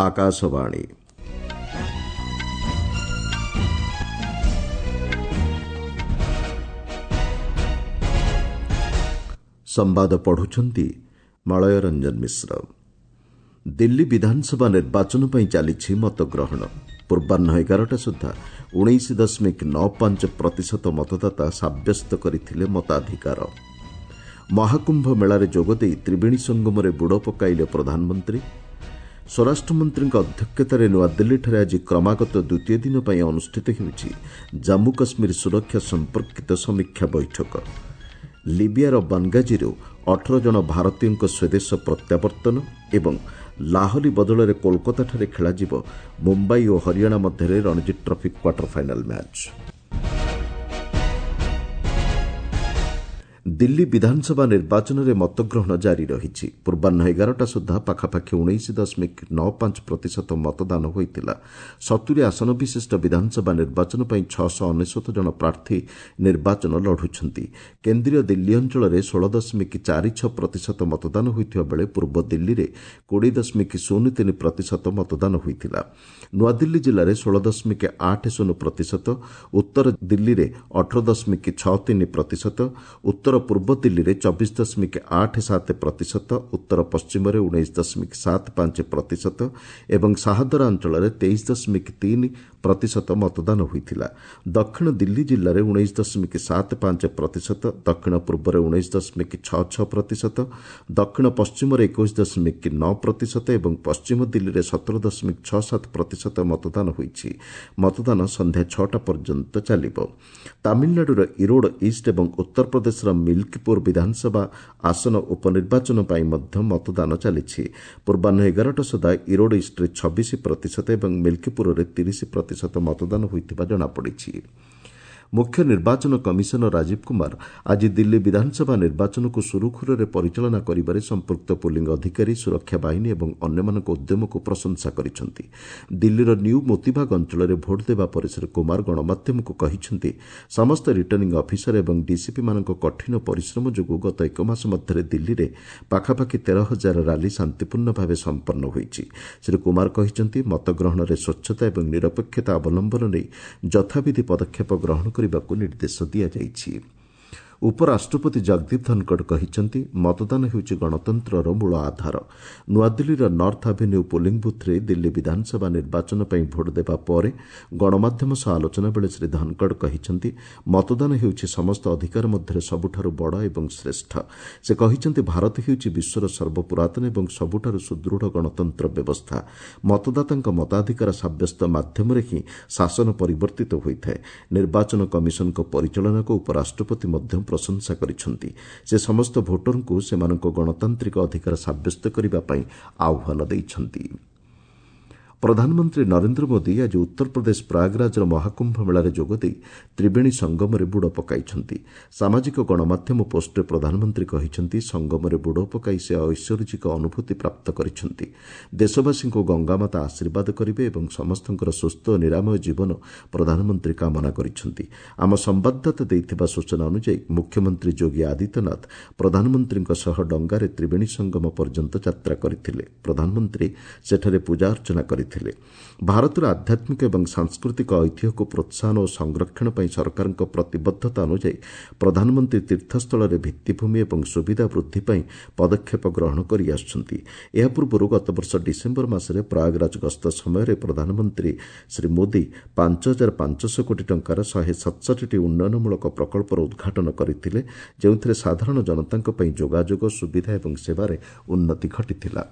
ଆକାଶବାଣୀ। ସମ୍ବାଦ ପଢୁଛନ୍ତି ମଳୟ ରଞ୍ଜନ ମିଶ୍ର। ଦିଲ୍ଲୀ ବିଧାନସଭା ନିର୍ବାଚନ ପାଇଁ ଚାଲିଛି ମତଗ୍ରହଣ। ପୂର୍ବାହ୍ନ 11ଟା ସୁଦ୍ଧା 19.95 ପ୍ରତିଶତ ମତଦାତା ସାବ୍ୟସ୍ତ କରିଥିଲେ ମତାଧିକାର। ମହାକୁମ୍ଭ ମେଳାରେ ଯୋଗଦେଇ ତ୍ରିବେଣୀ ସଙ୍ଗମରେ ବୁଡ଼ ପକାଇଲେ ପ୍ରଧାନମନ୍ତ୍ରୀ। ସ୍ୱରାଷ୍ଟ୍ରମନ୍ତ୍ରୀଙ୍କ ଅଧ୍ୟକ୍ଷତାରେ ନୂଆଦିଲ୍ଲୀଠାରେ ଆଜି କ୍ରମାଗତ ଦ୍ୱିତୀୟ ଦିନ ପାଇଁ ଅନୁଷ୍ଠିତ ହେଉଛି ଜାମ୍ମୁ କାଶ୍ମୀର ସୁରକ୍ଷା ସମ୍ପର୍କିତ ସମୀକ୍ଷା ବୈଠକ। ଲିବିଆର ବାଙ୍ଗାଜିରୁ 18 ଜଣ ଭାରତୀୟଙ୍କ ସ୍ୱଦେଶ ପ୍ରତ୍ୟାବର୍ତ୍ତନ ଏବଂ ଲାହଲି ବଦଳରେ କୋଲକାତାଠାରେ ଖେଳାଯିବ ମୁମ୍ବାଇ ଓ ହରିୟାଣା ମଧ୍ୟରେ Ranji trophy quarter final match. Delhi ବିଧାନସଭା ନିର୍ବାଚନରେ ମତଗ୍ରହଣ ଜାରି ରହିଛି। ପୂର୍ବାହ୍ନ 11ଟା ସୁଦ୍ଧା ପାଖାପାଖି 19.95 ପ୍ରତିଶତ ମତଦାନ ହୋଇଥିଲା। 70 ଆସନ ବିଶିଷ୍ଟ ବିଧାନସଭା ନିର୍ବାଚନ ପାଇଁ 699 ଜଣ ପ୍ରାର୍ଥୀ ନିର୍ବାଚନ ଲଢୁଛନ୍ତି। କେନ୍ଦ୍ରୀୟ ଦିଲ୍ଲୀ ଅଞ୍ଚଳରେ 16.46 ପ୍ରତିଶତ ମତଦାନ ହୋଇଥିବା ବେଳେ ପୂର୍ବ ଦିଲ୍ଲୀରେ 20.03 ପ୍ରତିଶତ ମତଦାନ ହୋଇଥିଲା। ନୂଆଦିଲ୍ଲୀ ଜିଲ୍ଲାରେ 16.80 ପ୍ରତିଶତ, ଉତ୍ତର ଦିଲ୍ଲୀରେ 18.63 ପ୍ରତିଶତ, ଉତ୍ତର ପୂର୍ବ ଦିଲ୍ଲୀରେ 24.87 ପ୍ରତିଶତ, ଉତ୍ତର ପଶ୍ଚିମରେ 19.75 ପ୍ରତିଶତ ଏବଂ ଶାହଦରା ଅଞ୍ଚଳରେ 23.3 ପ୍ରତିଶତ ମତଦାନ ହୋଇଥିଲା। ଦକ୍ଷିଣ ଦିଲ୍ଲୀ ଜିଲ୍ଲାରେ 19.75 ପ୍ରତିଶତ, ଦକ୍ଷିଣ ପୂର୍ବରେ 19.66 ପ୍ରତିଶତ, ଦକ୍ଷିଣ ପଶ୍ଚିମରେ 21.9 ପ୍ରତିଶତ ଏବଂ ପଶ୍ଚିମ ଦିଲ୍ଲୀରେ 17.67 ପ୍ରତିଶତ ମତଦାନ ହୋଇଛି। ମତଦାନ ସନ୍ଧ୍ୟା 6ଟା ପର୍ଯ୍ୟନ୍ତ ଚାଲିବ। ତାମିଲନାଡୁର ଇରୋଡ ଇଷ୍ଟ ଏବଂ ଉତ୍ତରପ୍ରଦେଶର ମିଲ୍କିପୁର ବିଧାନସଭା ଆସନ ଉପନିର୍ବାଚନ ପାଇଁ ମଧ୍ୟ ମତଦାନ ଚାଲିଛି। ପୂର୍ବାହ୍ନ 11ଟା ସୁଦ୍ଧା ଇରୋଡ ଇଷ୍ଟରେ 26 ପ୍ରତିଶତ ଏବଂ ମିଲ୍କିପୁରରେ 30 ପ୍ରତିଶତ ମତଦାନ ହୋଇଥିବା ଜଣାପଡ଼ିଛି। ମୁଖ୍ୟ ନିର୍ବାଚନ କମିଶନର ରାଜୀବ କୁମାର ଆଜି ଦିଲ୍ଲୀ ବିଧାନସଭା ନିର୍ବାଚନକୁ ସୁରୁଖୁରୁରେ ପରିଚାଳନା କରିବାରେ ସମ୍ପୃକ୍ତ ପୋଲିଂ ଅଧିକାରୀ, ସୁରକ୍ଷା ବାହିନୀ ଏବଂ ଅନ୍ୟମାନଙ୍କ ଉଦ୍ୟମକୁ ପ୍ରଶଂସା କରିଛନ୍ତି। ଦିଲ୍ଲୀର ନ୍ୟୁ ମୋତିବାଗ ଅଞ୍ଚଳରେ ଭୋଟ୍ ଦେବା ପରେ ଶ୍ରୀ କୁମାର ଗଣମାଧ୍ୟମକୁ କହିଛନ୍ତି, ସମସ୍ତ ରିଟର୍ଣ୍ଣିଂ ଅଫିସର ଏବଂ ଡିସିପିମାନଙ୍କ କଠିନ ପରିଶ୍ରମ ଯୋଗୁଁ ଗତ ଏକ ମାସ ମଧ୍ୟରେ ଦିଲ୍ଲୀରେ ପାଖାପାଖି 13 ହଜାର ରାଲି ଶାନ୍ତିପୂର୍ଣ୍ଣ ଭାବେ ସମ୍ପନ୍ନ ହୋଇଛି। ଶ୍ରୀ କୁମାର କହିଛନ୍ତି, ମତଗ୍ରହଣରେ ସ୍ୱଚ୍ଛତା ଏବଂ ନିରପେକ୍ଷତା ଅବଲମ୍ବନ ନେଇ ଯଥାବିଧି ପଦକ୍ଷେପ ଗ୍ରହଣ କରିବାକୁ ନିର୍ଦ୍ଦେଶ ଦିଆଯାଇଛି। ଉପରାଷ୍ଟ୍ରପତି ଜଗଦୀପ ଧନଖଡ଼ କହିଛନ୍ତି, ମତଦାନ ହେଉଛି ଗଣତନ୍ତ୍ରର ମୂଳ ଆଧାର। ନୂଆଦିଲ୍ଲୀର ନର୍ଥ ଆଭିନ୍ୟୁ ପୋଲିଂ ବୁଥ୍ରେ ଦିଲ୍ଲୀ ବିଧାନସଭା ନିର୍ବାଚନ ପାଇଁ ଭୋଟ୍ ଦେବା ପରେ ଗଣମାଧ୍ୟମ ସହ ଆଲୋଚନା ବେଳେ ଶ୍ରୀ ଧନଖଡ଼ କହିଛନ୍ତି, ମତଦାନ ହେଉଛି ସମସ୍ତ ଅଧିକାର ମଧ୍ୟରେ ସବୁଠାରୁ ବଡ଼ ଏବଂ ଶ୍ରେଷ୍ଠ। ସେ କହିଛନ୍ତି, ଭାରତ ହେଉଛି ବିଶ୍ୱର ସର୍ବପୁରାତନ ଏବଂ ସବୁଠାରୁ ସୁଦୃଢ଼ ଗଣତନ୍ତ୍ର ବ୍ୟବସ୍ଥା। ମତଦାତାଙ୍କ ମତାଧିକାର ସାବ୍ୟସ୍ତ ମାଧ୍ୟମରେ ହିଁ ଶାସନ ପରିବର୍ତ୍ତିତ ହୋଇଥାଏ। ନିର୍ବାଚନ କମିଶନଙ୍କ ପରିଚାଳନାକୁ ଉପରାଷ୍ଟ୍ରପତି ମଧ୍ୟ ପ୍ରଶଂସା କରିଛନ୍ତି। ସେ ସମସ୍ତ ଭୋଟରଙ୍କୁ ସେମାନଙ୍କ ଗଣତାନ୍ତ୍ରିକ ଅଧିକାର ସାବ୍ୟସ୍ତ କରିବା ପାଇଁ ଆହ୍ୱାନ ଦେଇଛନ୍ତି। ପ୍ରଧାନମନ୍ତ୍ରୀ ନରେନ୍ଦ୍ର ମୋଦି ଆଜି ଉତ୍ତରପ୍ରଦେଶ ପ୍ରୟାଗରାଜର ମହାକୁମ୍ଭ ମେଳାରେ ଯୋଗଦେଇ ତ୍ରିବେଣୀ ସଙ୍ଗମରେ ବୁଡ଼ ପକାଇଛନ୍ତି। ସାମାଜିକ ଗଣମାଧ୍ୟମ ପୋଷ୍ଟରେ ପ୍ରଧାନମନ୍ତ୍ରୀ କହିଛନ୍ତି, ସଙ୍ଗମରେ ବୁଡ଼ ପକାଇ ସେ ଐଶ୍ୱରିକ ଅନୁଭୂତି ପ୍ରାପ୍ତ କରିଛନ୍ତି। ଦେଶବାସୀଙ୍କୁ ଗଙ୍ଗାମାତା ଆଶୀର୍ବାଦ କରିବେ ଏବଂ ସମସ୍ତଙ୍କର ସୁସ୍ଥ ଓ ନିରାମୟ ଜୀବନ ପ୍ରଧାନମନ୍ତ୍ରୀ କାମନା କରିଛନ୍ତି। ଆମ ସମ୍ବାଦଦାତା ଦେଇଥିବା ସୂଚନା ଅନୁଯାୟୀ ମୁଖ୍ୟମନ୍ତ୍ରୀ ଯୋଗୀ ଆଦିତ୍ୟନାଥ ପ୍ରଧାନମନ୍ତ୍ରୀଙ୍କ ସହ ଡଙ୍ଗାରେ ତ୍ରିବେଣୀ ସଙ୍ଗମ ପର୍ଯ୍ୟନ୍ତ ଯାତ୍ରା କରିଥିଲେ। ପ୍ରଧାନମନ୍ତ୍ରୀ ସେଠାରେ ପୂଜାର୍ଚ୍ଚନା କରିଥିଲେ। ଭାରତର ଆଧ୍ୟାତ୍ମିକ ଏବଂ ସାଂସ୍କୃତିକ ଐତିହ୍ୟକୁ ପ୍ରୋତ୍ସାହନ ଓ ସଂରକ୍ଷଣ ପାଇଁ ସରକାରଙ୍କ ପ୍ରତିବଦ୍ଧତା ଅନୁଯାୟୀ ପ୍ରଧାନମନ୍ତ୍ରୀ ତୀର୍ଥସ୍ଥଳରେ ଭିତ୍ତିଭୂମି ଏବଂ ସୁବିଧା ବୃଦ୍ଧି ପାଇଁ ପଦକ୍ଷେପ ଗ୍ରହଣ କରିଆସୁଛନ୍ତି। ଏହା ପୂର୍ବରୁ ଗତବର୍ଷ ଡିସେମ୍ବର ମାସରେ ପ୍ରୟାଗରାଜ ଗସ୍ତ ସମୟରେ ପ୍ରଧାନମନ୍ତ୍ରୀ ଶ୍ରୀ ମୋଦି 5500 କୋଟି ଟଙ୍କାର 167ଟି ଉନ୍ନୟନମୂଳକ ପ୍ରକଳ୍ପର ଉଦ୍ଘାଟନ କରିଥିଲେ, ଯେଉଁଥିରେ ସାଧାରଣ ଜନତାଙ୍କ ପାଇଁ ଯୋଗାଯୋଗ, ସୁବିଧା ଏବଂ ସେବାରେ ଉନ୍ନତି ଘଟିଥିଲା।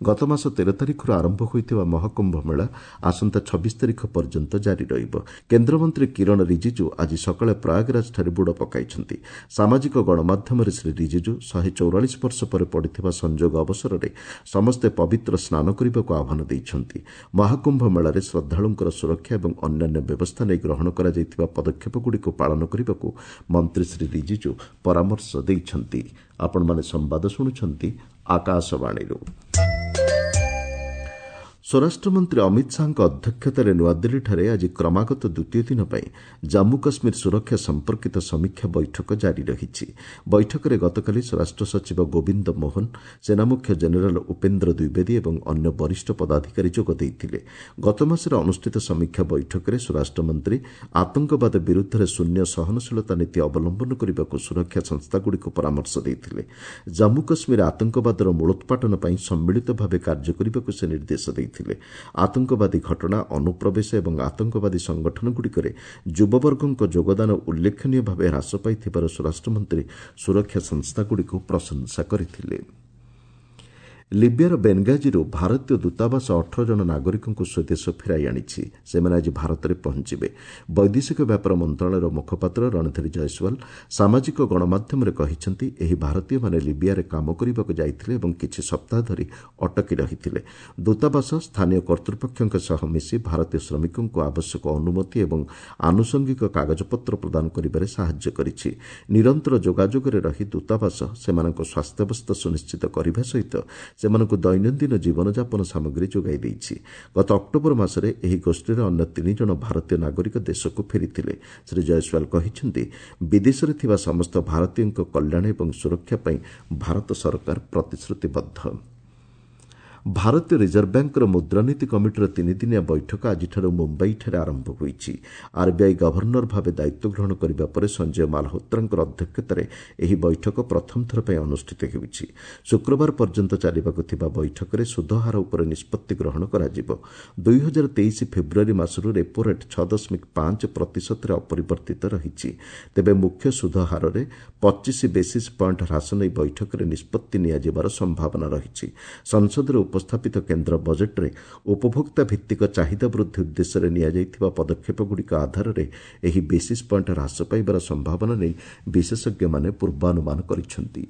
ଗତମାସ 13 ତାରିଖରୁ ଆରମ୍ଭ ହୋଇଥିବା ମହାକୁମ୍ଭ ମେଳା ଆସନ୍ତା 26 ତାରିଖ ପର୍ଯ୍ୟନ୍ତ ଜାରି ରହିବ। କେନ୍ଦ୍ରମନ୍ତ୍ରୀ କିରଣ ରିଜିଜୁ ଆଜି ସକାଳେ ପ୍ରୟାଗରାଜଠାରେ ବୁଡ଼ ପକାଇଛନ୍ତି। ସାମାଜିକ ଗଣମାଧ୍ୟମରେ ଶ୍ରୀ ରିଜିଜୁ 144 ବର୍ଷ ପରେ ପଡ଼ିଥିବା ସଂଯୋଗ ଅବସରରେ ସମସ୍ତେ ପବିତ୍ର ସ୍ନାନ କରିବାକୁ ଆହ୍ୱାନ ଦେଇଛନ୍ତି। ମହାକୁମ୍ଭ ମେଳାରେ ଶ୍ରଦ୍ଧାଳୁଙ୍କର ସୁରକ୍ଷା ଏବଂ ଅନ୍ୟାନ୍ୟ ବ୍ୟବସ୍ଥା ନେଇ ଗ୍ରହଣ କରାଯାଇଥିବା ପଦକ୍ଷେପଗୁଡ଼ିକୁ ପାଳନ କରିବାକୁ ମନ୍ତ୍ରୀ ଶ୍ରୀ ରିଜିଜୁ ପରାମର୍ଶ ଦେଇଛନ୍ତି। ଆପଣମାନେ ସମ୍ବାଦ ଶୁଣୁଛନ୍ତି ଆକାଶବାଣୀରୁ। ସ୍ୱରାଷ୍ଟ୍ରମନ୍ତ୍ରୀ ଅମିତ ଶାହାଙ୍କ ଅଧ୍ୟକ୍ଷତାରେ ନୂଆଦିଲ୍ଲୀଠାରେ ଆଜି କ୍ରମାଗତ ଦ୍ୱିତୀୟ ଦିନ ପାଇଁ ଜାମ୍ମୁ କାଶ୍ମୀର ସୁରକ୍ଷା ସମ୍ପର୍କିତ ସମୀକ୍ଷା ବୈଠକ ଜାରି ରହିଛି। ବୈଠକରେ ଗତକାଲି ସ୍ୱରାଷ୍ଟ୍ର ସଚିବ ଗୋବିନ୍ଦ ମୋହନ, ସେନାମୁଖ୍ୟ ଜେନେରାଲ୍ ଉପେନ୍ଦ୍ର ଦ୍ୱିବେଦୀ ଏବଂ ଅନ୍ୟ ବରିଷ୍ଠ ପଦାଧିକାରୀ ଯୋଗ ଦେଇଥିଲେ। ଗତମାସରେ ଅନୁଷ୍ଠିତ ସମୀକ୍ଷା ବୈଠକରେ ସ୍ୱରାଷ୍ଟ୍ରମନ୍ତ୍ରୀ ଆତଙ୍କବାଦ ବିରୁଦ୍ଧରେ ଶୂନ୍ୟ ସହନଶୀଳତା ନୀତି ଅବଲମ୍ବନ କରିବାକୁ ସୁରକ୍ଷା ସଂସ୍ଥାଗୁଡ଼ିକୁ ପରାମର୍ଶ ଦେଇଥିଲେ। ଜାମ୍ମୁ କାଶ୍ମୀର ଆତଙ୍କବାଦର ମୂଳୋତ୍ପାଟନ ପାଇଁ ସମ୍ମିଳିତ ଭାବେ କାର୍ଯ୍ୟ କରିବାକୁ ସେ ନିର୍ଦ୍ଦେଶ ଦେଇଥିଲେ। ଆତଙ୍କବାଦୀ ଘଟଣା, ଅନୁପ୍ରବେଶ ଏବଂ ଆତଙ୍କବାଦୀ ସଂଗଠନଗୁଡ଼ିକରେ ଯୁବବର୍ଗଙ୍କ ଯୋଗଦାନ ଉଲ୍ଲେଖନୀୟ ଭାବେ ହ୍ରାସ ପାଇଥିବାର ସ୍ୱରାଷ୍ଟ୍ରମନ୍ତ୍ରୀ ସୁରକ୍ଷା ସଂସ୍ଥାଗୁଡ଼ିକୁ ପ୍ରଶଂସା କରିଥିଲେ। ଲିବିଆର ବେନଗାଜିରୁ ଭାରତୀୟ ଦୂତାବାସ 18 ଜଣ ନାଗରିକଙ୍କୁ ସ୍ୱଦେଶ ଫେରାଇ ଆଣିଛି। ସେମାନେ ଆଜି ଭାରତରେ ପହଞ୍ଚିବେ। ବୈଦେଶିକ ବ୍ୟାପାର ମନ୍ତ୍ରଣାଳୟର ମୁଖପାତ୍ର ରଣଧୀର ଜୟସ୍ୱାଲ ସାମାଜିକ ଗଣମାଧ୍ୟମରେ କହିଛନ୍ତି, ଏହି ଭାରତୀୟମାନେ ଲିବିଆରେ କାମ କରିବାକୁ ଯାଇଥିଲେ ଏବଂ କିଛି ସପ୍ତାହ ଧରି ଅଟକି ରହିଥିଲେ। ଦୂତାବାସ ସ୍ଥାନୀୟ କର୍ତ୍ତୃପକ୍ଷଙ୍କ ସହ ମିଶି ଭାରତୀୟ ଶ୍ରମିକଙ୍କୁ ଆବଶ୍ୟକ ଅନୁମତି ଏବଂ ଆନୁଷଙ୍ଗିକ କାଗଜପତ୍ର ପ୍ରଦାନ କରିବାରେ ସାହାଯ୍ୟ କରିଛି। ନିରନ୍ତର ଯୋଗାଯୋଗରେ ରହି ଦୂତାବାସ ସେମାନଙ୍କ ସ୍ୱାସ୍ଥ୍ୟାବସ୍ଥା ସୁନିଶ୍ଚିତ କରିବା ସହିତ ସେମାନଙ୍କୁ ଦୈନନ୍ଦିନ ଜୀବନଯାପନ ସାମଗ୍ରୀ ଯୋଗାଇ ଦେଇଛି। ଗତ ଅକ୍ଟୋବର ମାସରେ ଏହି ଗୋଷ୍ଠୀର ଅନ୍ୟ 3 ଜଣ ଭାରତୀୟ ନାଗରିକ ଦେଶକୁ ଫେରିଥିଲେ। ଶ୍ରୀ ଜୟସ୍ୱାଲ କହିଛନ୍ତି, ବିଦେଶରେ ଥିବା ସମସ୍ତ ଭାରତୀୟଙ୍କ କଲ୍ୟାଣ ଏବଂ ସୁରକ୍ଷା ପାଇଁ ଭାରତ ସରକାର ପ୍ରତିଶ୍ରୁତିବଦ୍ଧ। ଭାରତୀୟ ରିଜର୍ଭ ବ୍ୟାଙ୍କର ମୁଦ୍ରାନୀତି କମିଟିର ତିନିଦିନିଆ ବୈଠକ ଆଜିଠାରୁ ମୁମ୍ବାଇଠାରେ ଆରମ୍ଭ ହୋଇଛି। ଆର୍ବିଆଇ ଗଭର୍ଣ୍ଣର ଭାବେ ଦାୟିତ୍ୱ ଗ୍ରହଣ କରିବା ପରେ ସଞ୍ଜୟ ମାଲହୋତ୍ରାଙ୍କର ଅଧ୍ୟକ୍ଷତାରେ ଏହି ବୈଠକ ପ୍ରଥମ ଥର ପାଇଁ ଅନୁଷ୍ଠିତ ହେଉଛି। ଶୁକ୍ରବାର ପର୍ଯ୍ୟନ୍ତ ଚାଲିବାକୁ ଥିବା ବୈଠକରେ ସୁଧହାର ଉପରେ ନିଷ୍ପତ୍ତି ଗ୍ରହଣ କରାଯିବ। 2023 ଫେବୃଆରୀ ମାସରୁ ରେପୋ ରେଟ୍ 6.5% ଅପରିବର୍ତ୍ତିତ ରହିଛି। ତେବେ ମୁଖ୍ୟ ସୁଧହାରରେ 25 ବେସିସ୍ ପଏଣ୍ଟ ହ୍ରାସ ନେଇ ବୈଠକରେ ନିଷ୍ପତ୍ତି ନିଆଯିବାର ସମ୍ଭାବନା ରହିଛି। ସଂସଦରେ ଉପସ୍ଥାପିତ କେନ୍ଦ୍ର ବଜେଟ୍ରେ ଉପଭୋକ୍ତା ଭିତ୍ତିକ ଚାହିଦା ବୃଦ୍ଧି ଉଦ୍ଦେଶ୍ୟରେ ନିଆଯାଇଥିବା ପଦକ୍ଷେପଗୁଡ଼ିକ ଆଧାରରେ ଏହି ବେସିସ୍ ପଏଣ୍ଟ ହ୍ରାସ ପାଇବାର ସମ୍ଭାବନା ନେଇ ବିଶେଷଜ୍ଞମାନେ ପୂର୍ବାନୁମାନ କରିଛନ୍ତି।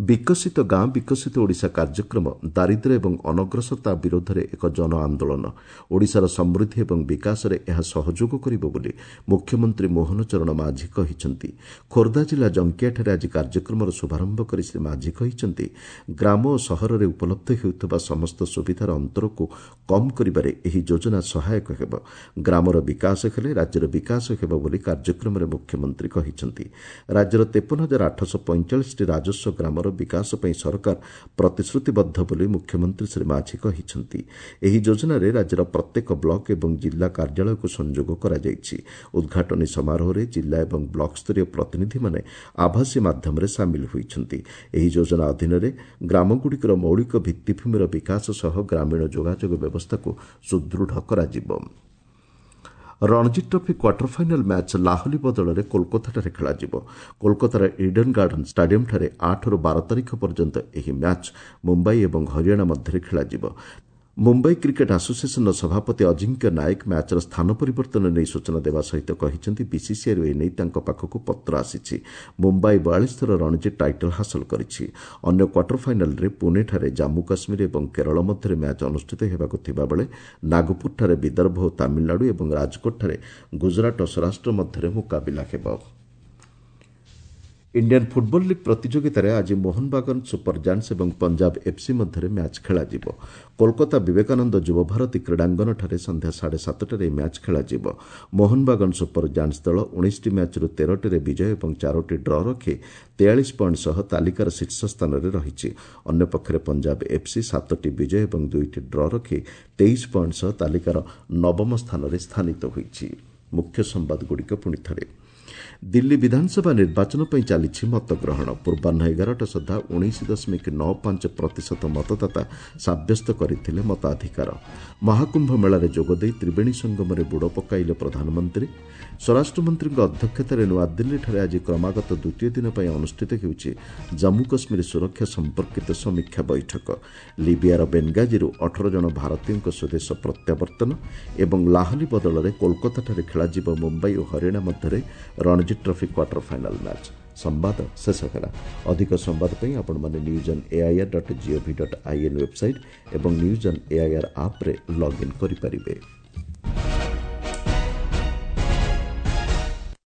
ବିକଶିତ ଗାଁ ବିକଶିତ ଓଡ଼ିଶା କାର୍ଯ୍ୟକ୍ରମ ଦାରିଦ୍ର୍ୟ ଏବଂ ଅନଗ୍ରସରତା ବିରୋଧରେ ଏକ ଜନ ଆନ୍ଦୋଳନ। ଓଡ଼ିଶାର ସମୃଦ୍ଧି ଏବଂ ବିକାଶରେ ଏହା ସହଯୋଗ କରିବ ବୋଲି ମୁଖ୍ୟମନ୍ତ୍ରୀ ମୋହନ ଚରଣ ମାଝୀ କହିଛନ୍ତି। ଖୋର୍ଦ୍ଧା ଜିଲ୍ଲା ଜଙ୍କିଆଠାରେ ଆଜି କାର୍ଯ୍ୟକ୍ରମର ଶୁଭାରମ୍ଭ କରି ଶ୍ରୀ ମାଝୀ କହିଛନ୍ତି, ଗ୍ରାମ ଓ ସହରରେ ଉପଲବ୍ଧ ହେଉଥିବା ସମସ୍ତ ସୁବିଧାର ଅନ୍ତରକୁ କମ୍ କରିବାରେ ଏହି ଯୋଜନା ସହାୟକ ହେବ। ଗ୍ରାମର ବିକାଶ ହେଲେ ରାଜ୍ୟର ବିକାଶ ହେବ ବୋଲି କାର୍ଯ୍ୟକ୍ରମରେ ମୁଖ୍ୟମନ୍ତ୍ରୀ କହିଛନ୍ତି। ରାଜ୍ୟର 53,845ଟି ରାଜସ୍ୱ ଗ୍ରାମର ବିକାଶ ପାଇଁ ସରକାର ପ୍ରତିଶ୍ରୁତିବଦ୍ଧ ବୋଲି ମୁଖ୍ୟମନ୍ତ୍ରୀ ଶ୍ରୀ ମାଝୀ କହିଛନ୍ତି। ଏହି ଯୋଜନାରେ ରାଜ୍ୟର ପ୍ରତ୍ୟେକ ବ୍ଲକ ଏବଂ ଜିଲ୍ଲା କାର୍ଯ୍ୟାଳୟକୁ ସଂଯୋଗ କରାଯାଇଛି। ଉଦ୍ଘାଟନୀ ସମାରୋହରେ ଜିଲ୍ଲା ଏବଂ ବ୍ଲକ ସ୍ତରୀୟ ପ୍ରତିନିଧିମାନେ ଆଭାସୀ ମାଧ୍ୟମରେ ସାମିଲ ହୋଇଛନ୍ତି। ଏହି ଯୋଜନା ଅଧୀନରେ ଗ୍ରାମଗୁଡ଼ିକର ମୌଳିକ ଭିତ୍ତିଭୂମିର ବିକାଶ ସହ ଗ୍ରାମୀଣ ଯୋଗାଯୋଗ ବ୍ୟବସ୍ଥାକୁ ସୁଦୃଢ଼ କରାଯିବ। Ranji trophy quarter final match Lahli ବଦଳରେ କୋଲକାତାଠାରେ ଖେଳାଯିବ। କୋଲକାତାର ଇଡେନ୍ ଗାର୍ଡେନ୍ ଷ୍ଟାଡିୟମ୍ଠାରେ 8ରୁ 12 ତାରିଖ ପର୍ଯ୍ୟନ୍ତ ଏହି ମ୍ୟାଚ୍ ମୁମ୍ବାଇ ଏବଂ ହରିୟାଣା ମଧ୍ୟରେ ଖେଳାଯିବ। ମୁମ୍ବାଇ କ୍ରିକେଟ୍ ଆସୋସିଏସନ୍ର ସଭାପତି ଅଜିଙ୍କ୍ୟ ନାୟକ ମ୍ୟାଚ୍ର ସ୍ଥାନ ପରିବର୍ତ୍ତନ ନେଇ ସୂଚନା ଦେବା ସହିତ କହିଛନ୍ତି, ବିସିସିଆଇରୁ ଏନେଇ ତାଙ୍କ ପାଖକୁ ପତ୍ର ଆସିଛି। ମୁମ୍ବାଇ 42 ଥର ରଣଜୀ ଟାଇଟଲ୍ ହାସଲ କରିଛି। ଅନ୍ୟ କ୍ୱାର୍ଟର ଫାଇନାଲ୍ରେ ପୁଣେଠାରେ ଜାମ୍ମୁ କାଶ୍ମୀର ଏବଂ କେରଳ ମଧ୍ୟରେ ମ୍ୟାଚ୍ ଅନୁଷ୍ଠିତ ହେବାକୁ ଥିବାବେଳେ ନାଗପୁରଠାରେ ବିଦର୍ଭ ଓ ତାମିଲନାଡୁ ଏବଂ ରାଜକୋଟଠାରେ ଗୁଜରାଟ ଓ ସୌରାଷ୍ଟ୍ର ମଧ୍ୟରେ ମୁକାବିଲା ହେବ। ଇଣ୍ଡିଆନ୍ ଫୁଟବଲ୍ ଲିଗ୍ ପ୍ରତିଯୋଗିତାରେ ଆଜି ମୋହନବାଗାନ ସୁପର ଜାଣ୍ଟସ୍ ଏବଂ ପଞ୍ଜାବ ଏଫ୍ସି ମଧ୍ୟରେ ମ୍ୟାଚ୍ ଖେଳାଯିବ। କୋଲକାତା ବିବେକାନନ୍ଦ ଯୁବଭାରତୀ କ୍ରୀଡ଼ାଙ୍ଗନଠାରେ ସନ୍ଧ୍ୟା 7:30ରେ ଏହି ମ୍ୟାଚ୍ ଖେଳାଯିବ। ମୋହନବାଗାନ ସୁପର ଜାଣ୍ଟସ୍ ଦଳ 19ଟି ମ୍ୟାଚ୍ରୁ 13ଟିରେ ବିଜୟ ଏବଂ 4ଟି ଡ୍ର ରଖି 43 ପଏଣ୍ଟ ସହ ତାଲିକାର ଶୀର୍ଷ ସ୍ଥାନରେ ରହିଛି। ଅନ୍ୟପକ୍ଷରେ ପଞ୍ଜାବ ଏଫ୍ସି 7ଟି ବିଜୟ ଏବଂ 2ଟି ଡ୍ର ରଖି 23 ପଏଣ୍ଟ ସହ ତାଲିକାର ନବମ ସ୍ଥାନରେ ସ୍ଥାନିତ ହୋଇଛି। ମୁଖ୍ୟ ସମ୍ବାଦଗୁଡ଼ିକ ପୁଣି ଥରେ। ଦିଲ୍ଲୀ ବିଧାନସଭା ନିର୍ବାଚନ ପାଇଁ ଚାଲିଛି ମତଗ୍ରହଣ। ପୂର୍ବାହ୍ନ 11ଟା ସୁଦ୍ଧା 19.95% ମତଦାତା ସାବ୍ୟସ୍ତ କରିଥିଲେ ମତାଧିକାର। ମହାକୁମ୍ଭ ମେଳାରେ ଯୋଗଦେଇ ତ୍ରିବେଣୀ ସଙ୍ଗମରେ ବୁଡ଼ ପକାଇଲେ ପ୍ରଧାନମନ୍ତ୍ରୀ। ସ୍ୱରାଷ୍ଟ୍ରମନ୍ତ୍ରୀଙ୍କ ଅଧ୍ୟକ୍ଷତାରେ ନୂଆଦିଲ୍ଲୀଠାରେ ଆଜି କ୍ରମାଗତ ଦ୍ୱିତୀୟ ଦିନ ପାଇଁ ଅନୁଷ୍ଠିତ ହେଉଛି ଜାମ୍ମୁ କାଶ୍ମୀର ସୁରକ୍ଷା ସମ୍ପର୍କିତ ସମୀକ୍ଷା ବୈଠକ। ଲିବିଆର ବେନଗାଜିରୁ 18 ଜଣ ଭାରତୀୟଙ୍କ ସ୍ୱଦେଶ ପ୍ରତ୍ୟାବର୍ତ୍ତନ ଏବଂ ଲାହଲି ବଦଳରେ କୋଲକାତାଠାରେ ଖେଳାଯିବ ମୁମ୍ବାଇ ଓ ହରିୟାଣା ମଧ୍ୟରେ Ranji trophy quarter final match. ସମ୍ବାଦ ଶେଷ ହେଲା। ଅଧିକ ସମ୍ବାଦ ପାଇଁ ଆପଣମାନେ news on AIR dot GOV dot IN website ଏବଂ ନ୍ୟୁଜ୍ ଅନ୍ ଏଆଇଆର୍ ଆପ୍ରେ ଲଗ୍ଇନ୍ କରିପାରିବେ।